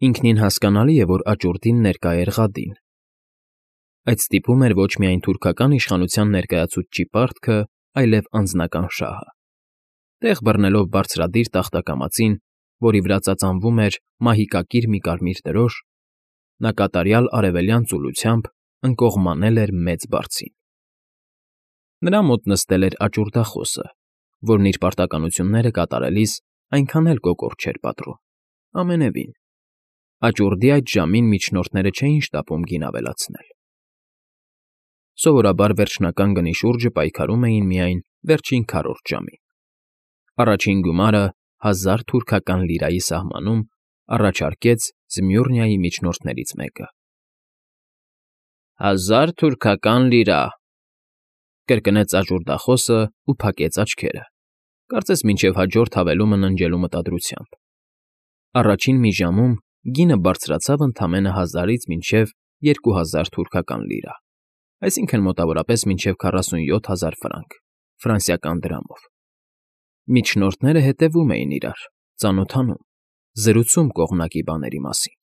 Ինքնին հասկանալի է, որ աճուրդին ներկա էր Ղադին. այդ ստիպում էր ոչ միայն թուրքական իշխանության ներկայացուցչի պարտքը, այլև անձնական շահը։ Տեղ բռնելով բարձրադիր տախտակամածին, որի վրա ծածանվում էր մահիկակիր մի կարմիր դրոշ, նա կատարյալ արևելյան ծուլությամբ ընկողմանել էր մեծ բարձին։ Նրա մոտ նստել էր աճուրդախոսը, որն իր պարտականությունները կատարելիս այնքան էլ կոկորդ չէր պատռում, ամենևին։ Աճուրդի այդ ժամին միջնորդները չէին շտապում գին ավելացնել։ Սովորաբար վերջնական գնի շուրջը պայքարում էին միայն վերջին քառորդ ժամին։ Առաջին գումարը 1000 թուրքական լիրայի սահմանում առաջարկեց Զմյուռնիայի միջնորդներից մեկը։ 1000 թուրքական լիրա, կրկնեց աճուրդախոսն ու փակեց աչքերը, կարծես մինչև հաջորդ հավելումը ննջելու մտադրությամբ։ Առաջին մի ժամում գինը բարձրացավ ընդամենը 1000-ից մինչև 2000 թուրքական լիրա, այսինքն մոտավորապես մինչև 47000 ֆրանկ, ֆրանսիական դրամով։ Միջնորդները հետևում էին իրար, ծանոթանում, զրուցում կողմնակի բաների մասին։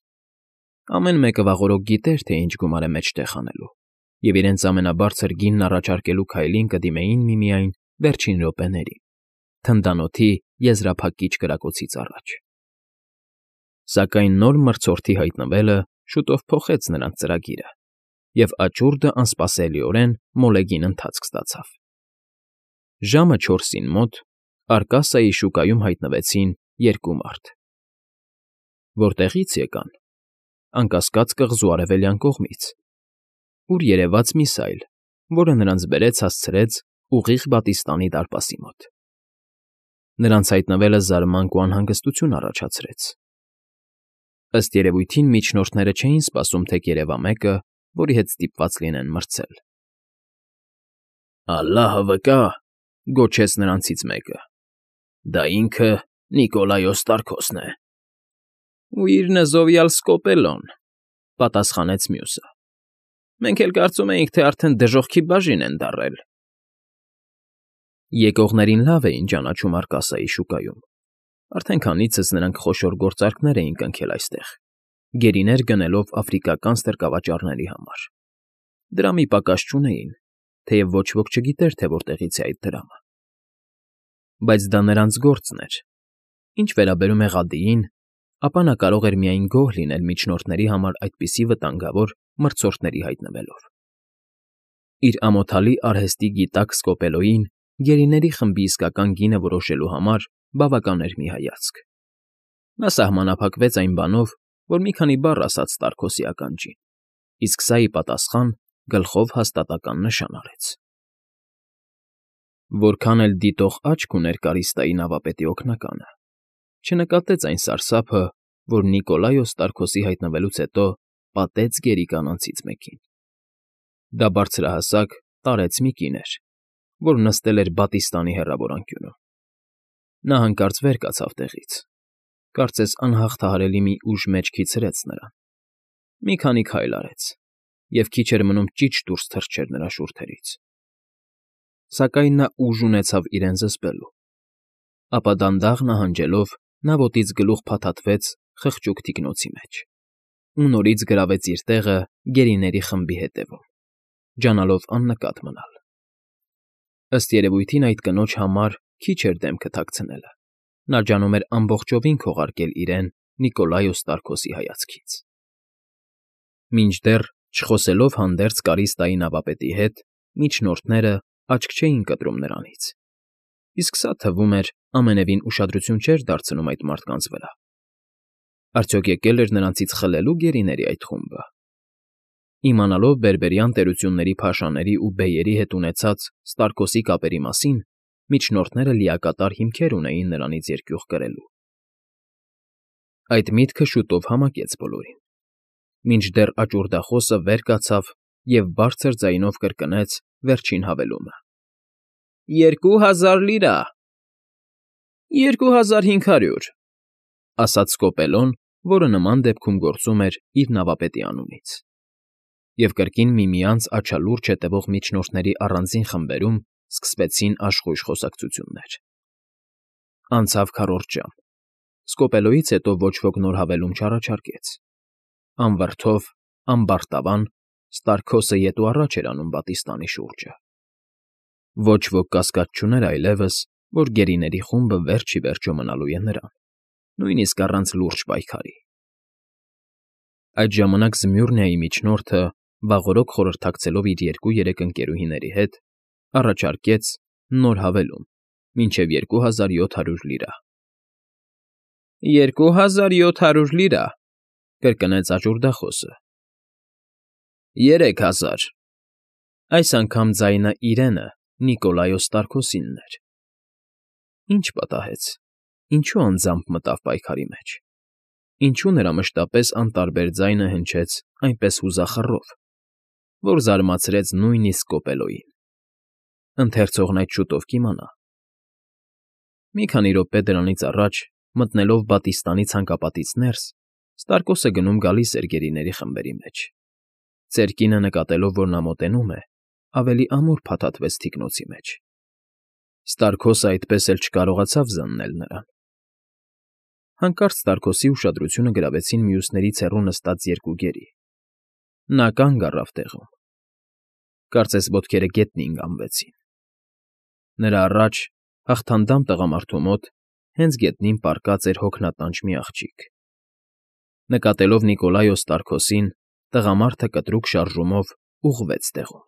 Ամեն մեկը վաղօրոք գիտեր, թե ինչ գումար է մեջտեղ անելու, և իրենց ամենաբարձր գինն առաջարկելու քայլին կդիմեին միմիայն վերջին րոպեներին, թնդանոթի եզրափակիչ կրակոցից առաջ։ Սակայն նոր մրցորդի հայտնվելը շուտով փոխեց նրանց ծրագիրը, և աճուրդը անսպասելիորեն մոլեգին ընթացք ստացավ։ Ժամը 4-ին մոտԱրկասայի շուկայում հայտնվեցին երկու մարդ։ Որտեղի՞ց եկան։ Անկասկած կղզու արևելյան կողմից, ուր երևաց միսայլ, որը նրանց բերեց֊հասցրեց ուղիղ Բատիստանի դարպասի մոտ։ Նրանց հայտնվելը զարմանք ու անհանգստություն առաջացրեց։ Ըստ երևույթին միջնորդները չէին սպասում, թե կերևա մեկը, որի հետ ստիպված լինեն մրցել։ Ալլահը վկա, գոչեց նրանցից մեկը, դա ինքը Նիկոլայոս Տարքոսն է։ Ու իր նզովյալ Սկոպելոն, պատասխանեց մյուսը։ Մենք էլ կարծում էինք, թե արդեն դժոխքի բաժին են դառել։ Եկողներին լավ էին ճանաչում Արկասայի շուկայում։ Արդեն քանիցս նրանք խոշոր գործարքներ էին կնքել այստեղ, գերիներ գնելով աֆրիկական ստրկավաճառների համար։ Դրամի պակաս չունեին, թեև ոչ ոք չգիտեր, թե որտեղից է այդ դրամը։ Բայց դա նրանց գործն էր։ Ինչ վերաբերում է Ղադիին, ապա նա կարող էր միայն գոհ լինել միջնորդների համար այդպիսի վտանգավոր մրցորդների հայտնվելով։ Իր ամոթալի արհեստի գիտակ Սկոպելոյին գերիների խմբի իսկական գինը որոշելու համար բավական էր մի հայացք։ Նա սահմանափակվեց այն բանով, որ մի քանի բառ ասաց Տարքոսի ականջին, իսկ սա ի պատասխան գլխով հաստատական նշան արեց։ Որքան էլ դիտող աչք ուներ Կարիստայի նավապետի օգնականը, չնկատեց այն սարսափը, որ Նիկոլայոս Տարքոսի հայտնվելուց հետո պատեց գերի կանանցից մեկին։ Դա բարձրահասակ, տարեց մի կին էր, որ նստել էր Բատիստանի հեռավոր անկյունում։ Նա հանկարծ վեր կացավ տեղից, կարծես անհաղթահարելի մի ուժ մեջքից հրեց նրան։ Մի քանի քայլ արեց, և քիչ էր մնում ճիչ դուրս թռչեր նրա շուրթերից։ Սակայն նա ուժ ունեցավ իրեն զսպելու։ Ապա դանդաղ նահանջելով նա ոտից գլուխ փաթաթվեց խղճուկ թիկնոցի մեջ ու նորից գրավեց իր տեղը գերիների խմբի հետևում, ջանալով աննկատ մնալ։ Ըստ երևույթին այդ կնոջ համար քիչ էր դեմքը թաքցնելը, նա ջանում էր ամբողջովին քողարկել իրեն Նիկոլայոս Տարքոսի հայացքից։ Մինչդեռ, չխոսելով հանդերձ Կարիստայի նավապետի հետ, միջնորդները աչք չէին կտրում նրանից, իսկ սա, թվում էր, ամենևին ուշադրություն չէր դարձնում այդ մարդկանց վրա։ Արդյոք եկել էր նրանցից խլելու գերիների այդ խումբը։ Իմանալով բերբերյան տերությունների փաշաների ու բեյերի հետ ունեցած Ստարկոսի կապերի մասին, միջնորդները լիակատար հիմքեր ունեին նրանից երկյուղ կրելու։ Այդ միտքը շուտով համակեց բոլորին, մինչդեռ աճուրդախոսը վեր կացավ և բարձր ձայնով կրկնեց վերջին հավելումը. 2000 լիրա։ 2500, ասաց Սկոպելոն, որը նման դեպքում գործում էր իր նավապետի անունից։ Եվ կրկին միմյանց աչալուրջ հետևող միջնորդների առանձին խմբերում սկսվեցին աշխույժ խոսակցություններ։ Անցավ քառորդ ժամ, Սկոպելոյից հետո ոչ ոք նոր հավելում չառաջարկեց։ Անվրդով, ամբարտավան, Ստարքոսը ետ ու առաջ էր անում պատիստանի շուրջը։ Ոչ ոք կասկած չուներ այլևս, որ գերիների խումբը վերջ ի վերջո մնալու է նրան, նույնիսկ առանց լուրջ պայքարի։ Այդ ժամանակ Զմյուռնիայի միջնորդը, վաղօրոք խորհրդակցելով իր 2-3 ընկերուհիների հետ, առաջարկեց նոր հավելում, մինչև 2700 լիրա։ 2700 լիրա, կրկնեց աճուրդախոսը։ 3000։ Այս անգամ ձայնը իրենը, Նիկոլայոս Ստարքոսինն էր։ Ինչ պատահեց, ինչու անձամբ մտավ պայքարի մեջ, ինչու նրա մշտապես անտարբեր ձայնը հնչեց այնպես հուզախռով, որ զարմացրեց նույնիսկ Սկոպելոյին։ Ընթերցողն այդ շուտով կիմանա։ Մի քանի րոպե դրանից առաջ, մտնելով պատիստանի ցանկապատից ներս, Ստարկոսը գնում֊գալիս էր գերիների խմբերի մեջ։ Ծեր կինը նկատելով, որ նա մոտենում է, ավելի ամուր փաթաթվեց թիկնոցի մեջ։ Ստարկոսը այդպես էլ չկարողացավ զննել նրան։ Հանկարծ Ստարկոսի ուշադրությունը գրավեցին մյուսներից հեռու նստած 2 գերի։ Նա կանգ առավ տեղում։ Կարծես ոտքերը գետնին կանգնվեցին։ Նրա առաջ, հաղթանդամ տղամարդու մոտ, հենց գետնին պառկած էր հոգնատանջ մի աղջիկ։ Նկատելով Նիկոլայոս Ստարքոսին, տղամարդը կտրուկ շարժումով ուղղվեց տեղում։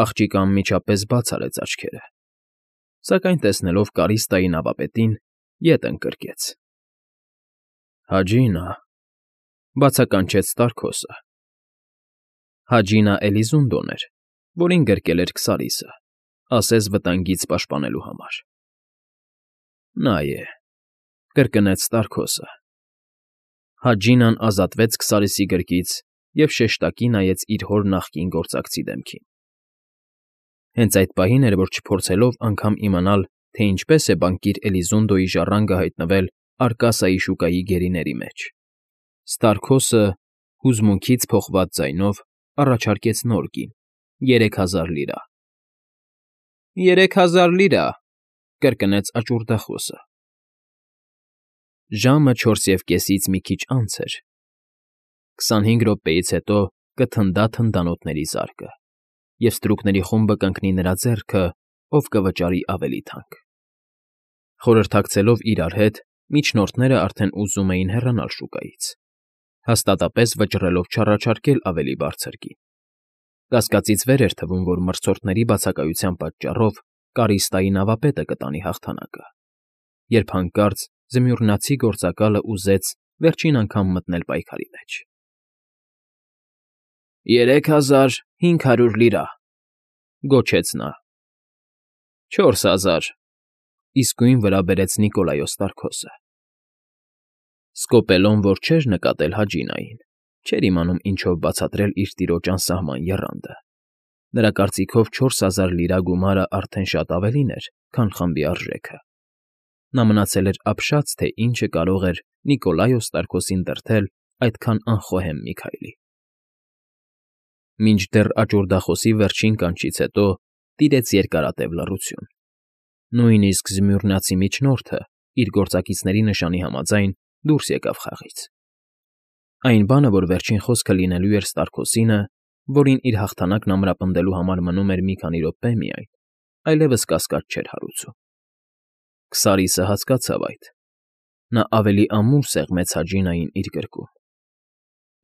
Աղջիկը անմիջապես բաց արեց աչքերը, սակայն տեսնելով Կարիստայի նավապետին, ետ ընկրկեց։ Հաջինա, բացականչեց Ստարքոսը։ Հաջինա Էլիզունդոն էր, որին գրկել էր Քսարիսը, ասես վտանգից պաշտպանելու համար։ Նա է, կրկնեց Ստարքոսը։ Հաջինան ազատվեց Քսարիսի գրկից և շեշտակի նայեց իր հոր նախկին գործակցի դեմքին։ Հենց այդ պահին էր, որ չփորձելով անգամ իմանալ, թե ինչպես է բանկիր Էլիզունդոյի ժառանգը հայտնվել Արկասայի շուկայի գերիների մեջ, Ստարքոսը հուզմունքից փոխված ձայնով առաջարկեց նոր գին՝ 3000 լիրա։ 3000 լիրա, կրկնեց աճուրդախոսը։ Ժամը 4:30-ից մի քիչ անց էր։ 25 րոպեից հետո կթնդա թնդանոթների զարկը, և ստրուկների խումբը կընկնի նրա ձեռքը, ով կվճարի ավելի թանկ։ Խորհրդակցելով իրար հետ, միջնորդները արդեն ուզում էին հեռանալ շուկայից, հաստատապես վճռելով չառաջարկել ավելի բարձր գին։ Կասկածից վեր էր թվում, որ մրցորդների բացակայության պատճառով Կարիստայի նավապետը կտանի հաղթանակը, երբ հանկարծ զմյուռնացի գործակալը ուզեց վերջին անգամ մտնել պայքարի մեջ։ 3500 լիրա, գոչեց նա։ 4000, իսկույն վրա բերեց Նիկոլայոս Ստարքոսը։ Սկոպելոն, որ չէր նկատել Հաջինային, չէր իմանում ինչով բացատրել իր տիրոջ անսահման եռանդը։ Նրա կարծիքով 4000 լիրա գումարը արդեն շատ ավելին էր, քան խմբի արժեքը։ Նա մնացել էր ապշած, թե ինչը կարող էր Նիկոլայոս Ստարքոսին դրդել այդքան անխոհեմ մի քայլի։ Մինչդեռ աճուրդախոսի վերջին կանչից հետո տիրեց երկարատև լռություն։ Նույնիսկ զմյուռնացի միջնորդը, իր գործակիցների նշանի համաձայն, դուրս եկավ խաղից։ Այն բանը, որ վերջին խոսքը լինելու էր Ստարքոսինը, որին իր հաղթանակն ամրապնդելու համար մնում էր մի քանի րոպե միայն, այլևս կասկած չէր հարուցում։ Քսարիսը հասկացավ այդ։ Նա ավելի ամուր սեղմեց Հաջինային իր գրկում։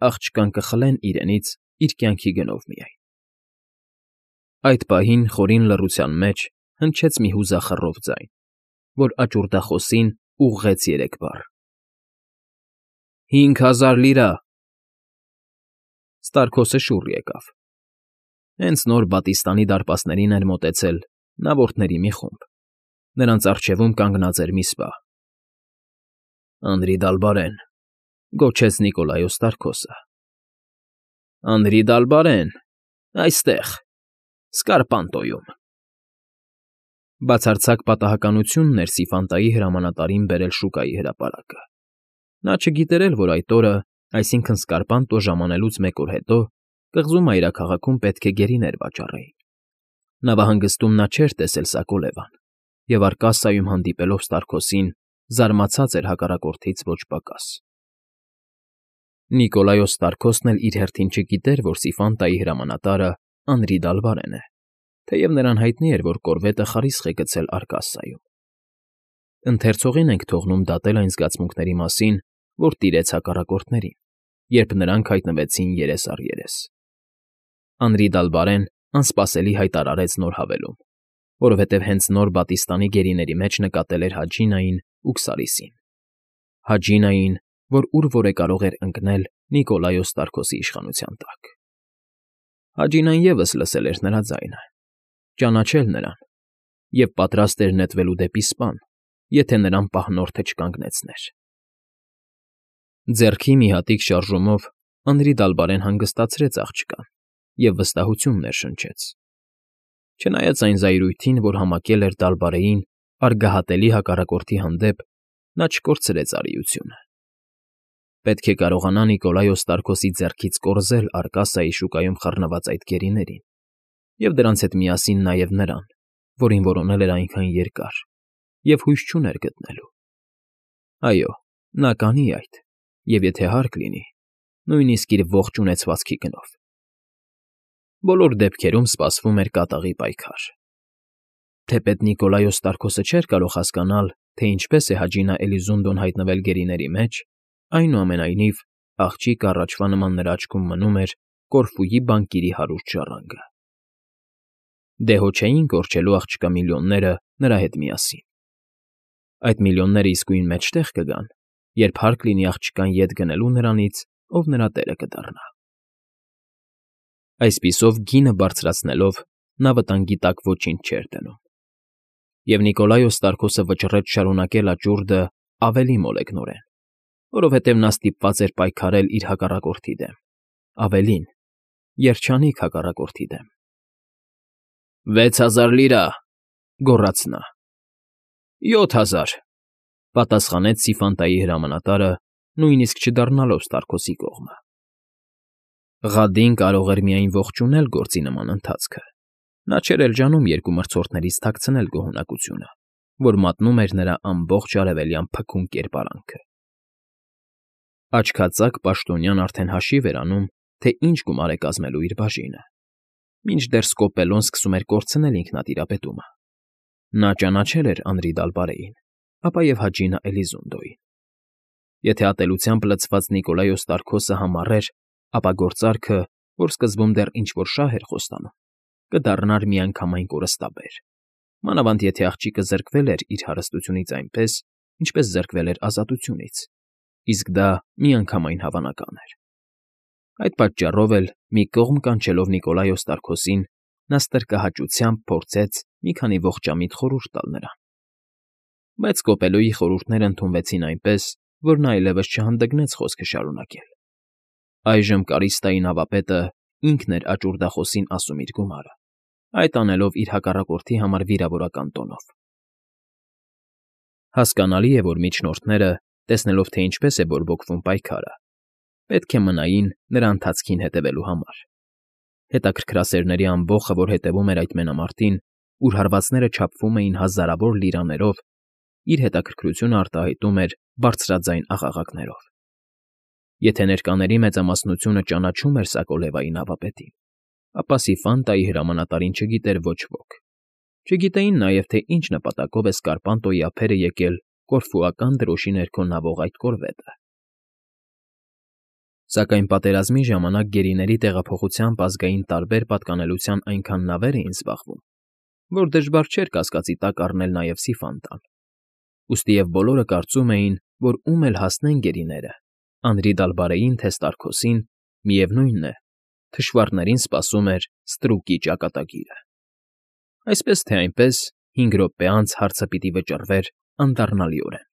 Աղջկան կխլեն իրենից իր կյանքի գնով միայն։ Այդ պահին խորին լռության մեջ հնչեց մի հուզախռով ձայն, որ աճուրդախոսին ուղղեց 3 բառ. 5000 լիրա։ Ստարքոսը շուռ եկավ։ Հենց նոր Բատիստանի դարպասներին էր մոտեցել նավորդների մի խումբ։ Նրանց առջևում կանգնած էր մի սպա։ Անդրի Դալբարեն, գոչեց Նիկոլայոս Ստարքոսը։ Անդրի Դալբարեն, այստեղ, Սկարպանտոյում։ Բացարձակ պատահականությունն էր Սիֆանտայի հրամանատարին բերել շուկայի հրապարակը։ Նա չգիտեր էլ, որ այդ օրը, այսինքն Սկարպանտո ժամանելուց 1 օր հետո, կղզու մայրաքաղաքում պետք է գերիներ վաճառեին։ Նավահանգստում նա չէր տեսել Սակոլևան, և Արկասայում հանդիպելով Ստարքոսին, զարմացած էր հակառակորդից ոչ պակաս։ Նիկոլայոս Ստարկոսն էլ իր հերթին չգիտեր, որ Սիֆանտայի հրամանատարը Անրի Դալբարեն է, թեև նրան հայտնի էր, որ կորվետը խարիսխ է գցել Արկասսայում։ Ընթերցողին ենք թողնում դատել այն զգացմունքների մասին, որ տիրեց հակառակորդներին, երբ նրանք հայտնվեցին երես առ երես։ Անրի Դալբարեն անսպասելի հայտարարեց նոր հավելում, որովհետև հենց նոր Բատիստանի գերիների մեջ նկատել էր Հաջինային ու Քսարիսին։ Հաջինային, որ ուր որ է կարող էր ընկնել Նիկոլայոս Ստարկոսի իշխանության տակ։ Հաջինան ևս լսել էր նրա ձայնը, ճանաչել նրան և պատրաստ էր նետվելու դեպի սպան, եթե նրան պահնորդը չկանգնեցներ։ Ձեռքի մի հատիկ շարժումով Անրի Դալբարեն հանգստացրեց աղջկան և վստահություն ներշնչեց։ Չնայած այն զայրույթին, որ համակել էր Դալբարեին արգահատելի հակառակորդի հանդեպ, նա չկորցրեց արիությունը։ Պետք է կարողանա Նիկոլայոս Ստարկոսի ձեռքից կորզել Արկասայի շուկայում խռնված այդ գերիներին, և դրանց հետ միասին նաև նրան, որին որոնել էր այնքան երկար, և հույս չուներ գտնելու։ Այո, նա կանի այդ, և եթե հարկ լինի, նույնիսկ իր ողջ ունեցվածքի գնով։ Բոլոր դեպքերում սպասվում էր կատաղի պայքար։ Թեպետ Նիկոլայոս Ստարկոսը չէր կարող հասկանալ, թե ինչպես է Հաջինա Էլիզունդոն հայտնվել գերիների մեջ, այնուամենայնիվ աղջիկ առաջվա նման նրա աչքում մնում էր Կորֆուի բանկիրի հարուստ ժառանգը։ Դե հո չէին կորչելու աղջկա միլիոնները նրա հետ միասին։ Այդ միլիոնները իսկույն մեջտեղ կգան, երբ հարկ լինի աղջկան ետ գնելու նրանից, ով նրա տերը կդառնա։ Այսպիսով գինը բարձրացնելով նա վտանգի տակ ոչինչ չէր դնում։ Եվ Նիկոլայոս Ստարկոսը վճռեց շարունակել աճուրդը ավելի մոլեգնորեն, որովհետև նա ստիպված էր պայքարել իր հակառակորդի դեմ, ավելին, երջանիկ հակառակորդի դեմ։ 6000 լիրա, գոռաց նա։ 7000, պատասխանեց Սիֆանտայի հրամանատարը, նույնիսկ չդառնալով Ստարկոսի կողմը։ Ղադին կարող էր միայն ողջունել գործի նման ընթացքը։ Նա չէր էլ ջանում երկու մրցորդներից թաքցնել գոհունակությունը, որ մատնում էր նրա ամբողջ արևելյան փքուն կերպարանքը։ Աչքածակ պաշտոնյան արդեն հաշիվ էր անում, թե ինչ գումար է կազմելու իր բաժինը, մինչդեռ Սկոպելոն սկսում էր կորցնել ինքնատիրապետումը։ Նա ճանաչել էր Անրի Դալբարեին, ապա և Հաջինա Էլիզունդոյին։ Եթե ատելությամբ լցված Նիկոլայոս Ստարկոսը համառեր, ապա գործարքը, որ սկզբում դեռ ինչ֊որ շահ էր խոստանում, կդառնար միանգամայն կորստաբեր, մանավանդ եթե աղջիկը զրկվել էր իր հարստությունից այնպես, ինչպես զրկվել էր ազատությունից, իսկ դա միանգամայն հավանական էր։ Այդ պատճառով էլ, մի կողմ կանչելով Նիկոլայոս Ստարկոսին, նա ստրկահաճությամբ փորձեց մի քանի ողջամիտ խորհուրդ տալ նրան։ Բայց Սկոպելոյի խորհուրդներն ընդունվեցին այնպես, որ նա այլևս չհանդգնեց խոսքը շարունակել։ Այժմ Կարիստայի նավապետը ինքն էր աճուրդախոսին ասում իր գումարը, այդ անելով իր հակառակորդի համար վիրավորական տոնով։ Հասկանալի է, որ միջնորդները, տեսնելով, թե ինչպես է բորբոքվում պայքարը, պետք է մնային նրա ընթացքին հետևելու համար։ Հետաքրքրասերների ամբոխը, որ հետևում էր այդ մենամարտին, ուր հարվածները չափվում էին հազարավոր լիրաներով, իր հետաքրքրությունը արտահայտում էր բարձրաձայն աղաղակներով։ Եթե ներկաների մեծամասնությունը ճանաչում էր Սակոլևայի նավապետին, ապա Սիֆանտայի հրամանատարին չգիտեր ոչ ոք։ Չգիտեին նաև, թե ինչ նպատակով է Սկարպանտոյի ափերը եկել կորֆուական դրոշի ներքո նավող այդ կորվետը։ Սակայն պատերազմի ժամանակ գերիների տեղափոխությամբ ազգային տարբեր պատկանելության այնքան նավեր էին զբաղվում, որ դժվար չէր կասկածի տակ առնել նաև Սիֆանտան։ Ուստի և բոլորը կարծում էին, որ ում էլ հասնեն գերիները, Անրի Դալբարեին թե Ստարկոսին, միևնույնն է, թշվառներին սպասում էր ստրուկի ճակատագիրը։ Այսպես թե այնպես, 5 րոպե անց հարցը պիտի վճռվեր անդառնալիորեն։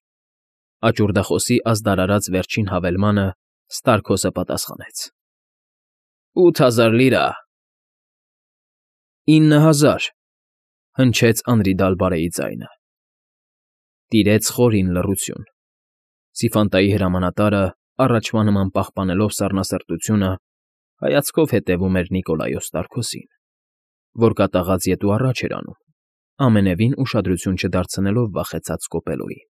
Աճուրդախոսի ազդարարած վերջին հավելմանը Ստարկոսը պատասխանեց. 8000 լիրա։ 9000, հնչեց Անրի Դալբարեի ձայնը։ Տիրեց խորին լռություն։ Սիֆանտայի հրամանատարը, առաջվա նման պահպանելով սառնասրտությունը, հայացքով հետևում էր Նիկոլայոս Ստարկոսին, որ կատաղած ետ ու առաջ էր անում, ամենևին ուշադրություն չդարձնելով վախեցած Սկոպելոյին։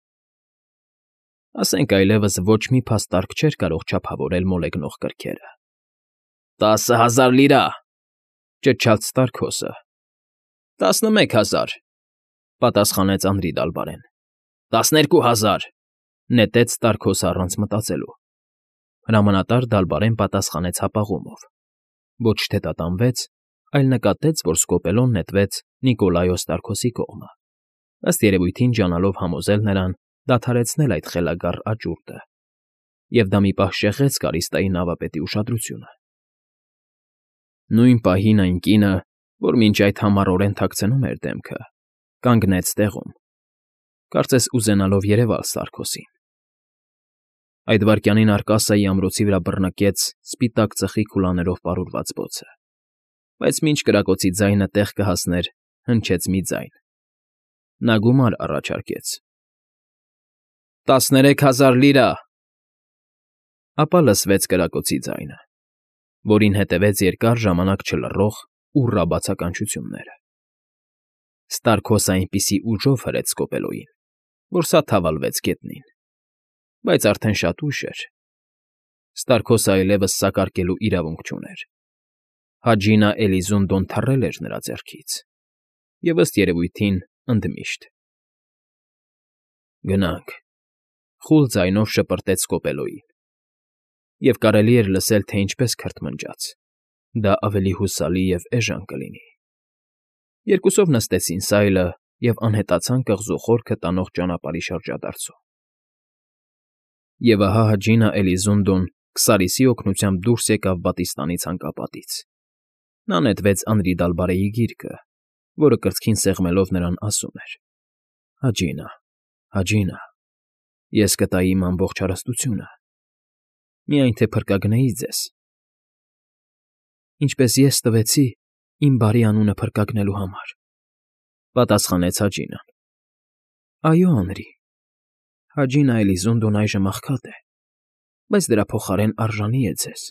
Ասենք այլևս ոչ մի փաստարկ չէր կարող չափավորել մոլեգնող կրքերը։ 10,000 լիրա,֊ ճչաց Ստարքոսը։ 11,000,֊ պատասխանեց Անրի Դալբարեն։ 12,000,֊ նետեց Ստարքոսը առանց մտածելու։ Հրամանատար Դալբարեն պատասխանեց հապաղումով։ Ոչ թե տատանվեց, այլ նկատեց, որ սկոպելոն նետվեց Նիկոլայո Ստարքոսի կողմը, ըստ երևույթին ջանալով համոզել նրան դադարեցնել այդ խելագար աճուրդը, և դա մի պահ շեղեց Կարիստայի նավապետի ուշադրությունը։ Նույն պահին այն կինը, որ մինչ այդ համառորեն թաքցնում էր դեմքը, կանգնեց տեղում, կարծես ուզենալով երևալ Ստարքոսին։ Այդ վայրկյանին Արկասիայի ամրոցի վրա բռնկեց սպիտակ ծխի քուլաներով պարուրված բոցը, բայց մինչ կրակոցի ձայնը տեղ կհասներ, հնչեց մի ձայն։ Նա գումար առաջարկեց։ 13,000 լիրա,֊ ապա լսվեց կրակոցի ձայնը, որին հետևեց երկար ժամանակ չլռող ուռա բացականչությունները։ Ստարքոսը այնպիսի ուժով հրեց սկոպելոյին, որ սա թավալվեց գետնին, բայց արդեն շատ ուշ էր։ Ստարքոսը այլևս սակարկելու իրավունք չուներ։ Հաջինա Էլիզունդոն թռել էր նրա ձեռքից, և ըստ երևույթին ընդմիշտ։ Գնանք,֊ խուլ ձայնով շպրտեց սկոպելոյին, և կարելի էր լսել, թե ինչպես քրթմնջաց. դա ավելի հուսալի և էժան կլինի։ Երկուսով նստեցին սայլը և անհետացան կղզու խորքը տանող ճանապարհի շրջադարձում։ Եվ ահա Հաջինա Էլիզունդոն Քսարիսի օգնությամբ դուրս եկավ պատիստանի ցանկապատից։ Նա նետվեց Անրի Դալբարեի գիրկը, որը կրծքին սեղմելով նրան ասում էր. «Հաջինա, Հաջինա, ես կտայի իմ ամբողջ հարստությունը, միայն թե փրկագնեի ձեզ»։ «Ինչպես ես տվեցի իմ բարի անունը փրկագնելու համար,֊ պատասխանեց Հաջինան։ Այո, Անրի, Հաջինա Էլիզունդոն այժմ աղքատ է, բայց դրա փոխարեն արժանի է ձեզ։